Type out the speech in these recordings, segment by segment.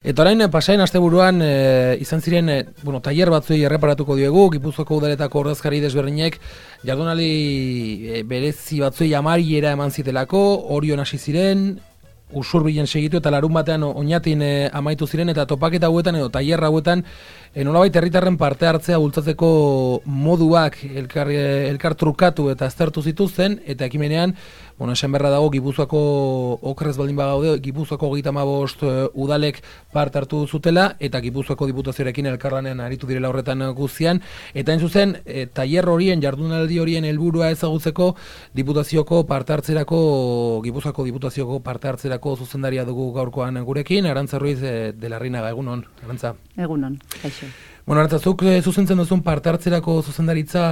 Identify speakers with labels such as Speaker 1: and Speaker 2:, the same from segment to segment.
Speaker 1: Eta orain pasain asteburuan izan ziren tailer batzuei erreparatuko diegu, Gipuzkoako udaletako ordezkari desberdinek jardunaldi berezi batzuei amaiera eman zitelako, Orion hasi ziren, Usurbilen segitu eta larun batean Oñatin amaitu ziren eta topaketa hauetan edo tailer hauetan nolabait herritarren parte hartzea bultzatzeko moduak elkar trukatu eta aztertu zituzten eta ekimenean esan berra dago Gipuzkoako okrez baldin bagaude Gipuzkoako 35 udalek parte hartu zutela eta Gipuzkoako diputazioarekin elkarlanean aritu direla horretan guztian eta hain zuzen tailer horien jardunaldi horien helburua ezagutzeko diputazioko parte hartzerako Gipuzkoako diputazioko parte hartzerako zuzendaria dugu gaurkoan gurekin Arantza Ruiz de la Reinaga. Egunon, Arantza.
Speaker 2: Egunon, kaixo.
Speaker 1: Arantza, zuk zuzentzen duzun parte hartzerako zuzendaritza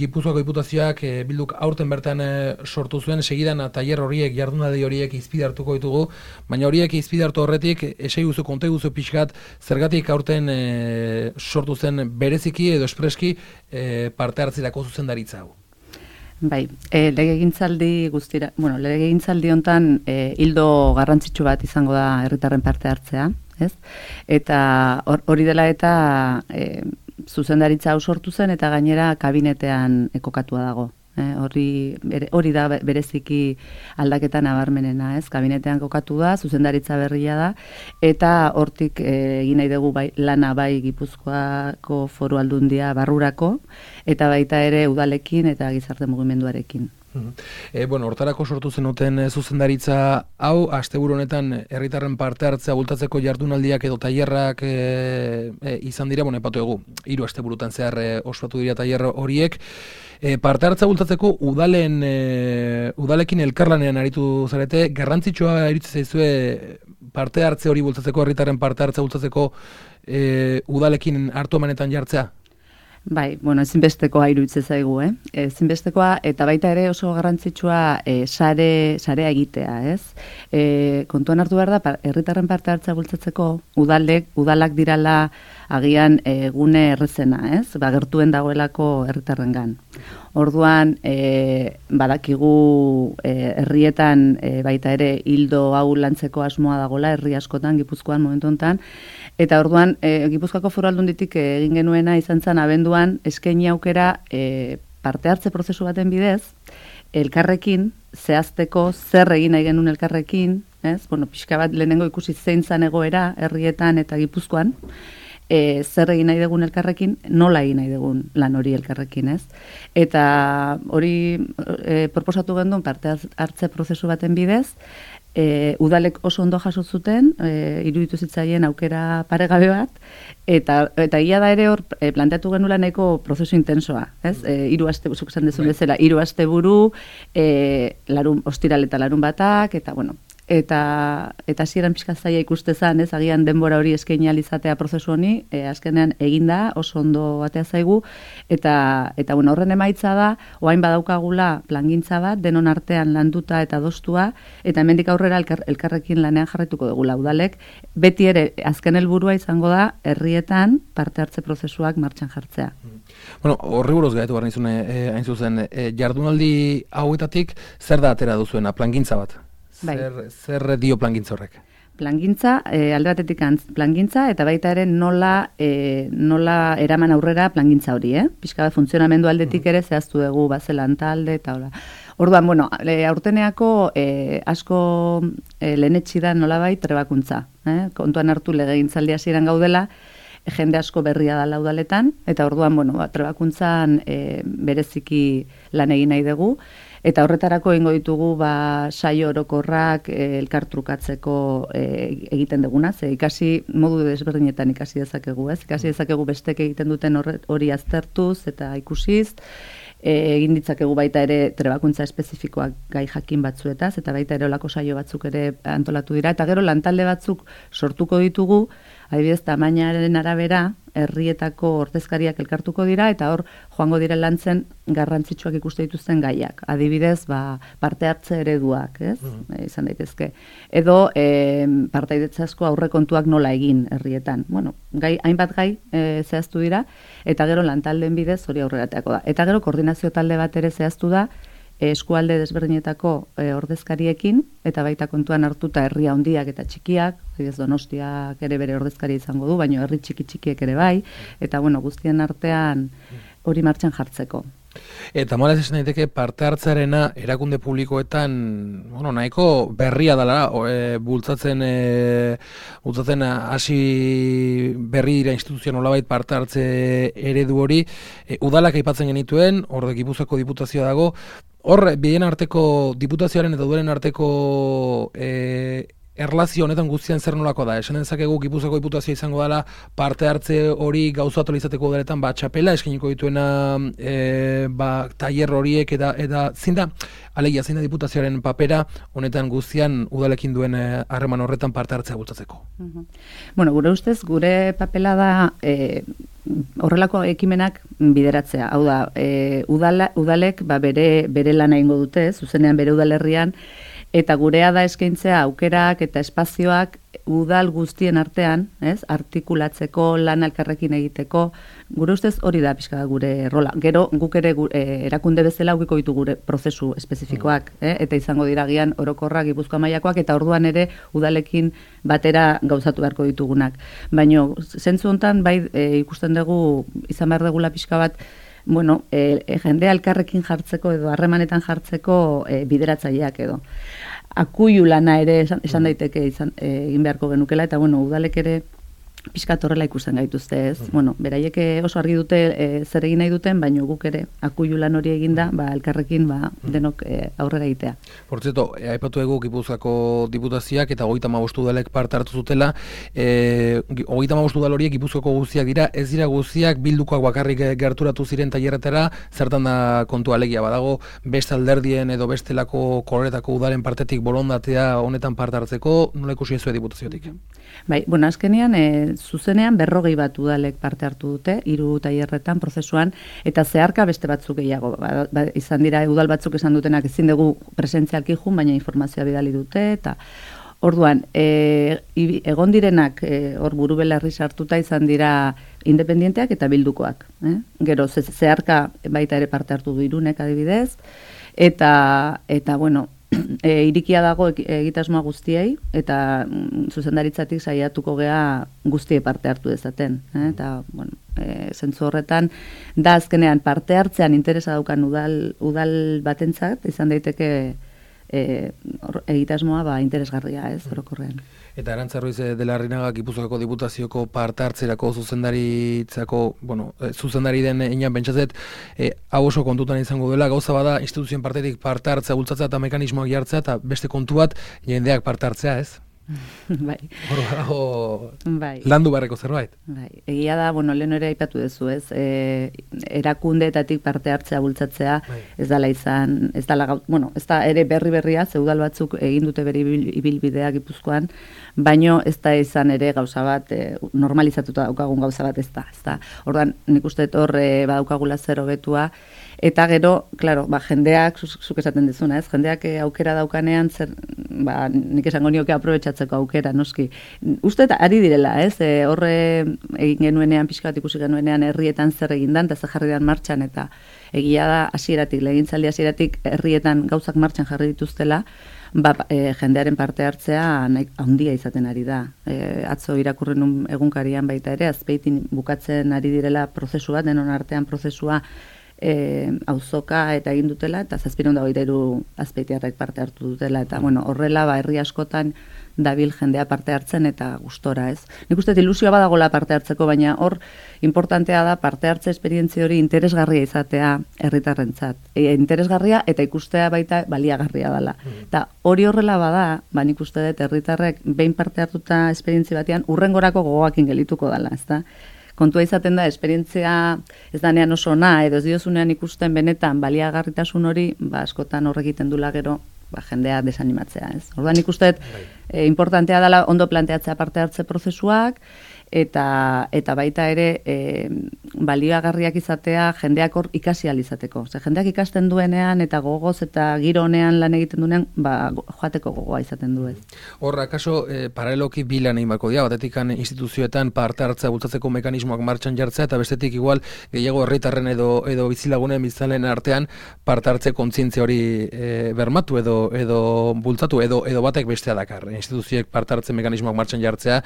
Speaker 1: Gipuzkoako diputazioak bilduk aurten bertan sortu zuen segidan tailer horiek, jardunaldi horiek izpide hartuko ditugu, baina horiek izpide hartu horretik esei guzu, konte guzu pixkat, zergatik aurten sortu zen bereziki edo espreski parte hartzerako zuzendaritza hau.
Speaker 2: Bai, legegintzaldi guztira, legegintzaldi hontan hildo garrantzitsu bat izango da herritarren parte hartzea, ez? Eta hori dela eta zuzendaritza hau sortu zen eta gainera kabinetean kokatua dago. Hori da bereziki aldaketa nabarmenena, ez? Kabinetean kokatu da, zuzendaritza berria da, eta hortik egin nahi dugu lana bai Gipuzkoako Foru Aldundia barrurako, eta baita ere udalekin eta gizarte mugimenduarekin.
Speaker 1: Hortarako sortu zenuten zuzendaritza hau, asteburu honetan herritarren parte hartzea bultatzeko jardunaldiak edo tailerrak izan dira, epatu egu, 3 asteburutan zehar ospatu dira tailer horiek. Parte hartzea bultatzeko udalekin elkarlanean aritu zarete, garrantzitsua iritsi zaizue parte hartze hori bultatzeko, herritarren parte hartzea bultatzeko udalekin hartu emanetan jartzea?
Speaker 2: Bai, ezinbestekoa iruditzen zaigu, ezinbestekoa eta baita ere oso garrantzitsua sarea egitea, ez? Kontuan hartu behar da, herritarren parte hartzea bultzatzeko udalak dirala agian gune errezena, ez? Gertuen dagoelako herritarrengan. Orduan, badakigu herrietan baita ere hildo hau lantzeko asmoa dagola, herri askotan, Gipuzkoan momentu honetan, eta orduan, Gipuzkoako Foru Aldunditik egin genuena izan zen abenduan eskaini aukera parte hartze prozesu baten bidez, elkarrekin, zehazteko zer egin nahi genuen elkarrekin, ez? Pixka bat lehenengo ikusi zein zan egoera herrietan eta Gipuzkoan, zer egin nahi dugun elkarrekin, nola egin nahi dugun lan hori elkarrekin, ez? Eta hori proposatu genduen parte hartze prozesu baten bidez, udalek oso ondo jaso zuten, iruditu zitzaien aukera paregabe bat, eta ia da ere hor planteatu genuela nahiko prozesu intensoa, ez? 3 aste, zuk esan dezun bezala, 3 asteburu, ostiral eta larun batak, eta hasieran pixka zaila ikustezan, ez, agian denbora hori eskaini ahal izatea prozesu honi, azkenean eginda, oso ondo batea zaigu, eta horren emaitza da, orain badaukagula plangintza bat, denon artean landuta eta adostua, eta hemendik aurrera elkarrekin lanean jarraituko dugula udalek, beti ere azken helburua izango da, herrietan parte hartze prozesuak martxan jartzea.
Speaker 1: Horri buruz gaitu behar nizune, hain zuzen, jardunaldi hauetatik, zer da atera duzuena, plangintza bat? Zer dio plangintza horrek?
Speaker 2: Plangintza, alde batetik plangintza, eta baita ere nola eraman aurrera plangintza hori, Pixka bat funtzionamendu aldetik ere zehaztu dugu bazelan talde, eta hola. Orduan, aurteneako asko lehenetsi da nolabait trebakuntza. Kontuan hartu legegintzaldi hasieran gaudela, jende asko berria da laudaletan, eta orduan, trebakuntzan bereziki lan egin nahi dugu, eta horretarako egingo ditugu saio orokorrak elkartrukatzeko egiten duguna, ze ikasi modu desberdinetan ikasi dezakegu, ez? Ikasi dezakegu bestek egiten duten hori aztertuz eta ikusiz, egin ditzakegu baita ere trebakuntza espezifikoak gai jakin batzuetaz, eta baita ere olako saio batzuk ere antolatu dira, eta gero lantalde batzuk sortuko ditugu, adibidez, tamainaren arabera, herrietako ordezkariak elkartuko dira, eta hor joango dire lantzen garrantzitsuak ikuste dituzten gaiak. Adibidez, parte hartze ereduak, ez? Izan daitezke. Edo, partaidetzazko aurrekontuak nola egin herrietan. Hainbat gai zehaztu dira, eta gero lantaldeen bidez hori aurrerateako da. Eta gero koordinazio talde bat ere zehaztu da, eskualde desberdinetako ordezkariekin, eta baita kontuan hartuta herria handiak eta txikiak, ez Donostiak ere bere ordezkari izango du, baina herri txikiek ere bai, eta bueno, guztien artean hori martxan jartzeko.
Speaker 1: Eta malaz esan daiteke parte hartzarena erakunde publikoetan nahiko berria dela, bultzatzen hasi berri dira instituzio nolabait parte hartze eredu hori, udalak aipatzen genituen, hor Gipuzkoako diputazioa dago, hor bien arteko diputazioaren eta udalen arteko erlazio honetan guztian zer nolako da? Esan dezakegu Gipuzkoako diputazioa izango dela parte hartze hori gauzatu izateko udaletan txapela eskainiko dituena tailer horiek eta zein da diputazioaren papera honetan guztian udalekin duen harreman horretan parte hartzea bultzatzeko.
Speaker 2: Bueno, gure ustez, gure papela da horrelako ekimenak bideratzea. Hau da, udalek bere lana egingo dute, zuzenean bere udalerrian, eta gurea da eskaintzea aukerak eta espazioak udal guztien artean, artikulatzeko, lan elkarrekin egiteko, gure ustez hori da pixka gure rola. Gero guk ere erakunde bezala aukiko ditu gure prozesu espezifikoak, eta izango diragian orokorrak Gipuzkoa mailakoak, eta orduan ere udalekin batera gauzatu beharko ditugunak. Baina zentzu hontan bai ikusten dugu izan behar dugula pixka bat, jendea elkarrekin jartzeko edo harremanetan jartzeko bideratzaileak edo. Akuilu lana ere esan daiteke egin beharko genukela, eta udalek ere pixkat horrela ikusten gaituzte, ez? Beraiek oso argi dute zer egin nahi duten, baina guk ere akuilu lan hori eginda, elkarrekin denok aurrera egitea.
Speaker 1: Por cierto, aipatu egu Gipuzkoako diputazioak eta 35 udalek parte hartu zutela, 35 udal horiek Gipuzkoako guztiak dira, ez dira guztiak bildukoak bakarrik gerturatu ziren tailerretara, zertan da kontua alegia badago, beste alderdien edo bestelako koloretako udalen partetik borondatea honetan parte hartzeko, nola ikusi ezue diputaziotik?
Speaker 2: Bai, azkenean zuzenean 40 bat udalek parte hartu dute, 3 tailerretan prozesuan, eta zeharka beste batzuk gehiago. Izan dira udal batzuk esan dutenak ezin dugu presentzialki jun, baina informazioa bidali dute, eta orduan, egon direnak hor buru belarri sartuta izan dira independienteak eta bildukoak. Gero, zeharka baita ere parte hartu du Irunek adibidez, eta irikia dago egitasmoa guztiei, eta zuzendaritzatik saiatuko gea guztie parte hartu dezaten. Eta, zentzu horretan, da azkenean parte hartzean interesa daukan udal batentzat, izan daiteke egitasmoa interesgarria, ez, orokorrean.
Speaker 1: Eta Arantza Ruiz de la Larrinaga Gipuzkoako diputazioko parte hartzerako zuzendari den inan bentsazet, hau oso kontutan izango dela, gauza bada instituzioen partetik parte hartzea bultzatzea eta mekanismoak jartzea, eta beste kontu bat jendeak parte hartzea, ez?
Speaker 2: Bai.
Speaker 1: Hor badago landu barreko zerbait.
Speaker 2: Bai. Egia da, lehen ere aipatu duzu, ez? Erakundeetatik parte hartzea bultzatzea, ez dala izan, ez da ere berria, ze udal batzuk egin dute bere ibilbidea Gipuzkoan, baino ez da izan ere gauza bat, normalizatuta daukagun gauza bat ez da. Orduan, nik uste hor badaukagula zer hobetua, eta gero, klaro, jendeak, zuk esaten dizuna, ez? Jendeak aukera daukanean, nik esango nioke aprobetxatzeko aukera, noski. Uste ari direla, ez? Horre egin genuenean, pixka bat ikusi genuenean, herrietan zer egindan, eta zer jarri dan martxan, eta egia da hasieratik, legintzaldi hasieratik herrietan gauzak martxan jarri dituztela, jendearen parte hartzea handia izaten ari da. Atzo irakurren egunkarian baita ere, Azpeitin bukatzen ari direla prozesua, denon artean prozesua, auzoka eta egin dutela, eta 723 azpeitiarrek parte hartu dutela, eta horrela herri askotan dabil jendea parte hartzen eta gustora, ez? Nik uste ilusioa badagola parte hartzeko, baina hor importantea da parte hartze esperientzia hori interesgarria izatea herritarrentzat. Interesgarria eta ikustea baita baliagarria dela. Eta hori horrela bada, nik uste dut herritarrek behin parte hartuta esperientzia batean urrengorako gogoakin gelituko dela, ezta? Kontua izaten da, esperientzia ez danean oso ona, edo ez diozunean ikusten benetan baliagarritasun hori, askotan horregiten dula gero, jendea desanimatzea, ez? Orduan ikusten, importantea dela ondo planteatzea parte hartze prozesuak, eta baita ere balioagarriak izatea jendeak hor ikasi ahal izateko. Ze jendeak ikasten duenean eta gogoz eta giro honean lan egiten duenean, joateko gogoa izaten du ez.
Speaker 1: Hor, akaso, paraleloki bilan egin bako dira, batetik instituzioetan parte hartzea bultzatzeko mekanismoak martxan jartzea, eta bestetik igual gehiago herritarren edo bizilagunen biztanleen artean parte hartze kontzientzia hori bermatu edo bultzatu edo batek bestea dakar. Instituzioek parte hartze mekanismoak martxan jartzeak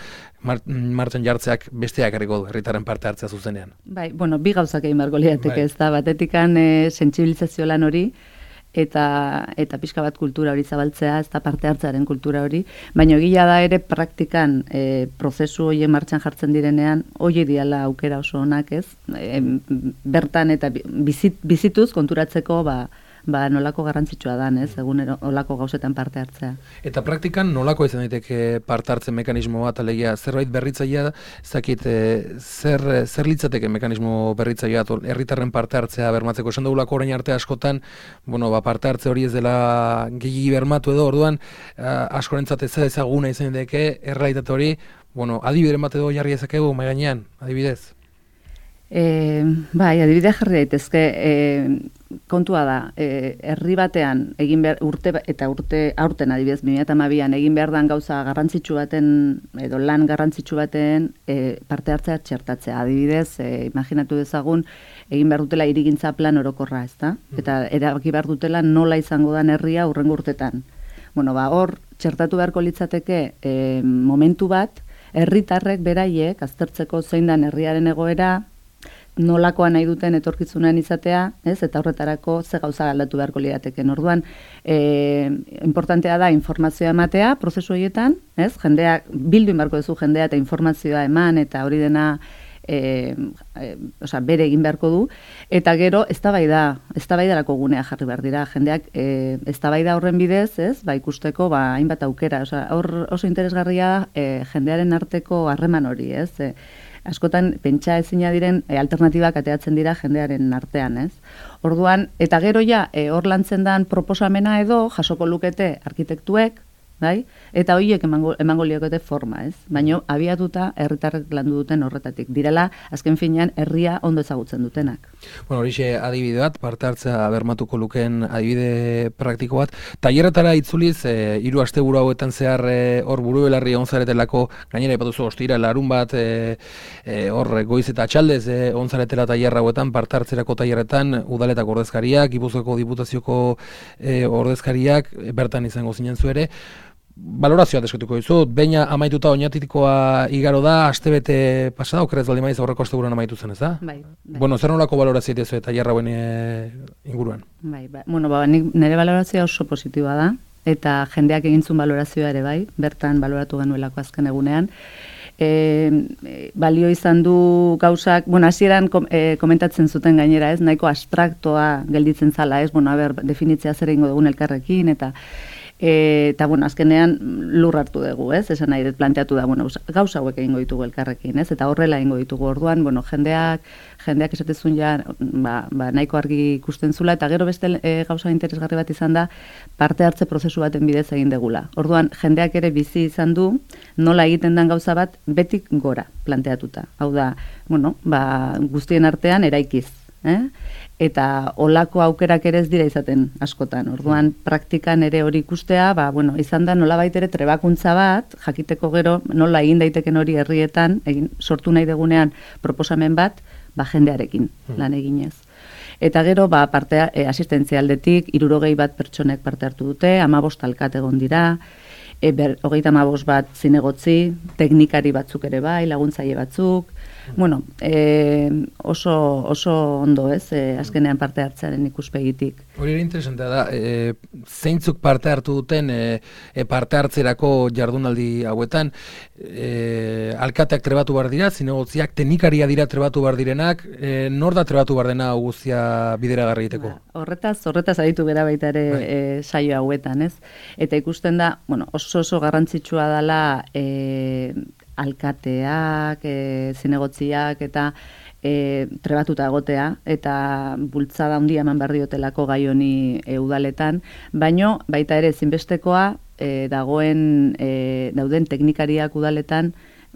Speaker 1: besteak erriko du herritarren parte hartzea zuzenean.
Speaker 2: Bai, bueno, bi gauzak egin beharko lirateke, ez da, batetikan sentsibilizazio lan hori, eta pixka bat kultura hori zabaltzea, ez da parte hartzearen kultura hori, baina egia da ere praktikan prozesu horien martxan jartzen direnean, hori diala aukera oso onak, ez? Bertan eta bizituz konturatzeko nolako garrantzitsua dan, ez? Egun olako gauzetan parte hartzea.
Speaker 1: Eta praktikan nolako izan daiteke parte hartzen mekanismo bat, alegia zerbait berritzailea, zakit zer litzateke mekanismo berritzailea, herritarren parte hartzea bermatzeko, esan dugulako orain arte askotan, parte hartze hori ez dela gehiagi bermatu edo, orduan askorentzat ez ezaguna izan daiteke, errealitate hori, adibideren bat edo jarri ezakegu, mai gainean, adibidez?
Speaker 2: Bai, adibidea jarri daitezke, kontua da, herri batean egin behar aurten adibidez 2012an egin behar dan gauza garrantzitsu baten edo lan garrantzitsu baten parte hartzea txertatzea. Adibidez, imaginatu dezagun egin behar dutela hirigintza plan orokorra, ezta? Eta erabaki behar dutela nola izango dan herria hurrengo urtetan. Hor txertatu beharko litzateke momentu bat herritarrek beraiek aztertzeko zein dan herriaren egoera, nolakoa nahi duten etorkizunean izatea, ez? Eta horretarako ze gauza aldatu beharko lirateken. Orduan, importantea da informazioa ematea prozesu horietan, ez? Jendeak bildu beharko duzu jendea eta informazioa eman eta hori dena bere egin beharko du, eta gero eztabaidarako gunea jarri behar dira. Jendeak eztabaida horren bidez, ez? Ikusteko hainbat aukera, hor oso interesgarria jendearen arteko harreman hori, ez? Askotan pentsa ezina diren alternatibak ateatzen dira jendearen artean, ez? Orduan, eta gero hor lantzen dan proposamena edo jasoko lukete arkitektuek, bai? Eta horiek emango liokete forma, ez? Baina abiatuta herritarrek landu duten horretatik. Direla, azken finean, herria ondo ezagutzen dutenak.
Speaker 1: Horixe adibide bat, parte hartzea bermatuko lukeen adibide praktiko bat. Tailerretara itzuliz, 3 asteburu hauetan zehar hor buru belarri onzaretelako, gainera ipatuzu ostira, larun bat, hor goiz eta atxaldez onzaretela tailerra hauetan, parte hartzerako tailerretan, udaletako ordezkariak, Gipuzkoako diputazioko ordezkariak, bertan izango zinen zu ere. Balorazioa desketuko dizut, baina amaituta oinatikoa igaro da, astebete pasada, okerez baldin maiz aurreko asteburuan amaitu zen, ez da? Bai. Zer nolako balorazioa dituzu eta jarrauen inguruan? Bai.
Speaker 2: Nire balorazioa oso positiboa da, eta jendeak egintzun balorazioa ere bai, bertan baloratu genuelako azken egunean. Balio izan du gauzak, hasieran komentatzen zuten gainera, ez? Nahiko abstraktoa gelditzen zala, ez? Definitzea zer egingo dugun elkarrekin, eta azkenean lur hartu dugu, ez? Esan nahi, planteatu da, gauza hauek egingo ditugu elkarrekin, ez? Eta horrela egingo ditugu orduan, jendeak esatezun nahiko argi ikusten zula, eta gero beste gauza interesgarri bat izan da, parte hartze prozesu baten bidez egin degula. Orduan, jendeak ere bizi izan du, nola egiten den gauza bat, betik gora planteatuta. Hau da, guztien artean eraikiz, eta olako aukerak ere ez dira izaten askotan. Orduan, praktikan ere hori ikustea, izan da nolabait ere trebakuntza bat, jakiteko gero nola egin daiteken hori herrietan, sortu nahi degunean proposamen bat, jendearekin lan eginez. Eta gero, asistentzialdetik, 60 bat pertsonek parte hartu dute, 15 alkat egon dira, 35 bat zinegotzi, teknikari batzuk ere bai, laguntzaile batzuk, oso ondo, ez, azkenean parte hartzearen ikuspegitik.
Speaker 1: Hori ere interesantea da, zeintzuk parte hartu duten parte hartzerako jardunaldi hauetan, alkateak trebatu behar dira, zinegotziak, teknikaria dira trebatu behar direnak, nor da trebatu behar dena guztia bideragarri egiteko?
Speaker 2: Horretaz aditu bera baita ere saio hauetan, ez? Eta ikusten da, oso garrantzitsua dela alkateak, zinegotziak eta trebatuta egotea eta bultzada handia eman behar diotelako gai honi udaletan, baino baita ere ezinbestekoa dauden teknikariak udaletan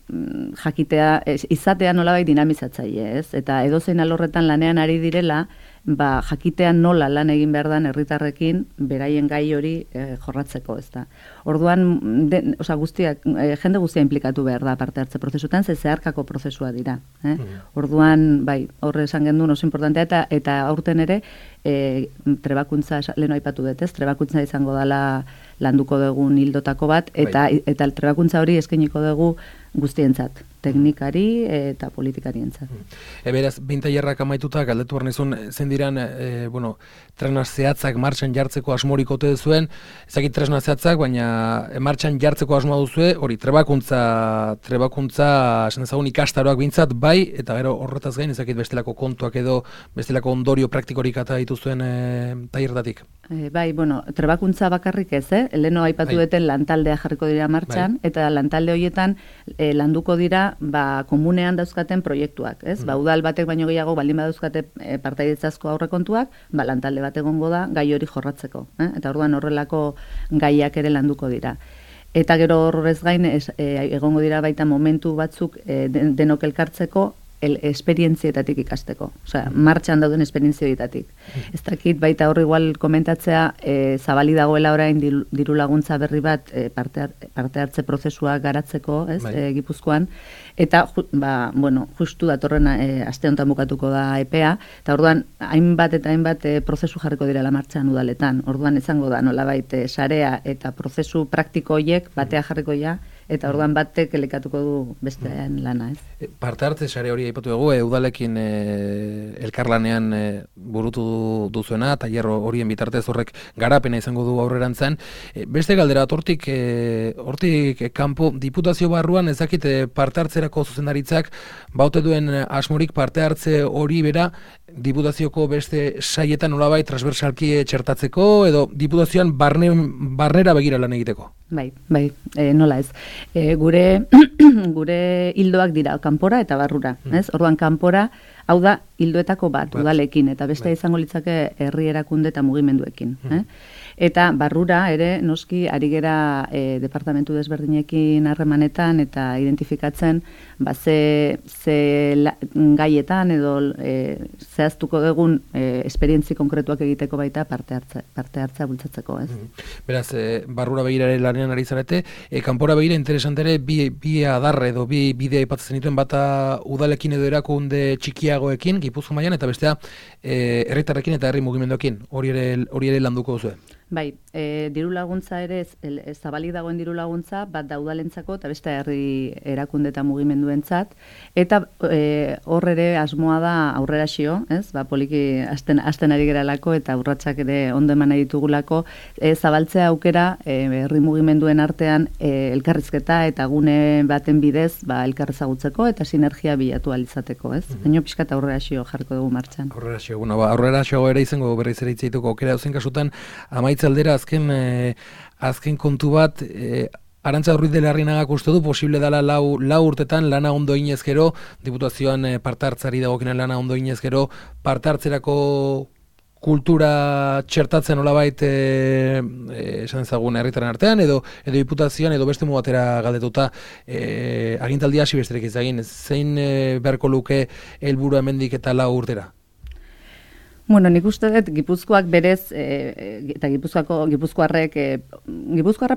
Speaker 2: jakitea, izatea nolabait dinamizatzaile, ez? Eta edozein alorretan lanean ari direla, jakitea nola lan egin behar dan herritarrekin beraien gai hori jorratzeko, ez da. Orduan, jende guztia implikatu behar da parte hartze prozesutan, zeharkako prozesua dira. Orduan, bai, horre esan gendun oso importantea, eta aurten ere, trebakuntza, leheno aipatu dut, ez? Trebakuntza izango dela landuko dugun hildotako bat, eta trebakuntza hori eskainiko dugu guztientzat, teknikari eta politikarientzat.
Speaker 1: Beraz, bintailerrak amaituta, galdetu behar nizun, zen diran, tresna zehatzak martxan jartzeko asmorik ote duzuen, ezakit tresna zehatzak, baina martxan jartzeko asmoa duzue, hori, trebakuntza, esan ezagun ikastaroak bintzat, bai, eta gero horretaz gain, ezakit bestelako kontuak edo, bestelako ondorio praktikorik eta dituzuen tailertatik.
Speaker 2: Bai, trebakuntza bakarrik ez, leheno aipatu duten lantaldea jarriko dira martxan, eta lantalde horietan landuko dira komunean dauzkaten proiektuak, ez? Udal batek baino gehiago baldin badauzkate partaidetzazko aurrekontuak, lantalde bat egongo da gai hori jorratzeko, eta orduan horrelako gaiak ere landuko dira. Eta gero horrez gain egongo dira baita momentu batzuk denok elkartzeko esperientzietatik ikasteko. Osea, martxan dauden esperientzietatik. Ez dakit baita hor igual komentatzea zabali dagoela orain diru laguntza berri bat parte hartze prozesua garatzeko, ez, Gipuzkoan, eta justu datorren aste honetan bukatuko da epea, eta orduan hainbat prozesu jarriko direla martxan udaletan. Orduan izango da nolabait sarea eta prozesu praktiko horiek batea jarriko ja, eta orduan batek elikatuko du bestean lana, ez?
Speaker 1: Parte hartze sare hori aipatu dugu, udalekin elkarlanean burutu duzuena, tailer horien bitartez horrek garapena izango du aurrerantzen. Beste galdera, hortik kanpo diputazio barruan ezakite parte hartzerako zuzendaritzak baute duen asmorik parte hartze hori bera diputazioko beste saietan nolabait transversalki txertatzeko edo diputazioan barnera begira lan egiteko?
Speaker 2: Bai, nola ez. Gure hildoak dira kanpora eta barrura, ez? Orduan kanpora, hau da hildoetako bat udalekin eta beste izango litzake herri erakunde eta mugimenduekin, Eta barrura ere noski ari gera departamentu desberdinekin harremanetan eta identifikatzen ze gaietan edo zehaztuko dugun esperientzi konkretuak egiteko baita parte hartzea bultzatzeko, ez?
Speaker 1: Beraz, barrura begirare lanean ari zarete, kanpora begira interesantere bi adarre edo bi bide aipatzen dituen bata udalekin edo erakunde txikiagoekin, Gipuzkoa mailan, eta bestea herritarrekin eta herri mugimenduekin, hori ere landuko duzue.
Speaker 2: Bai, diru laguntza ere zabalik dagoen diru laguntza bat da udalentzako eta beste herri erakunde eta mugimenduentzat, eta hor ere asmoa da aurreraxio, ez? Poliki hasten ari geralako eta urratsak ere ondo eman nahi ditugulako, zabaltzea aukera herri mugimenduen artean elkarrizketa eta gune baten bidez elkarrezagutzeko eta sinergia bilatu ahal izateko, ez? Baina pixkat aurreraxio jarriko dugu martxan.
Speaker 1: Aurreraxio ere izango berriz ere hitzeituko aukera dauzen kasutan, amaitzaldera azken kontu bat, Arantza Ruiz de Larrinagak uste du posible dela lau urtetan lana ondo inez gero, diputazioan parte hartzari dagokinan lana ondo inez gero, parte hartzerako kultura txertatzen nolabait esan ezagun herritarren artean edo diputazioan edo beste mugatera galdetuta agintaldia hasi besterik izagin, zein beharko luke helburua hemendik eta 4 urtera?
Speaker 2: Nik uste dut Gipuzkoak berez eta Gipuzkoarra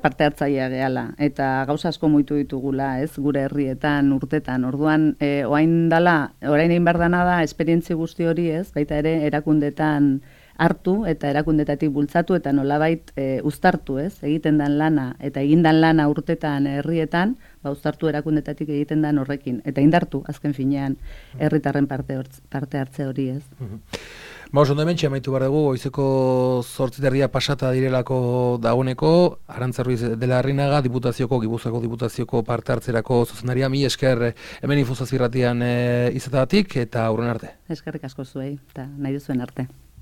Speaker 2: parte hartzailea gehala eta gauza asko muitu ditugula, ez, gure herrietan urtetan. Orduan orain egin behar dana da esperientzia guzti hori, ez, baita ere erakundetan hartu eta erakundetatik bultzatu eta nolabait uztartu, ez, egiten dan lana eta egindan lana urtetan herrietan, uztartu erakundetatik egiten dan horrekin eta indartu azken finean herritarren parte hartze hori, ez.
Speaker 1: Ondo hementxe amaitu behar dugu, goizeko 8:30 pasata direlako dagoeneko, Arantza Ruiz de Larrinaga, Gipuzkoako diputazioko parte hartzerako zuzendaria, mi esker hemen Info Zazpi irratian izatagatik eta aurren arte.
Speaker 2: Eskerrik asko zuei eta nahi duzuen arte.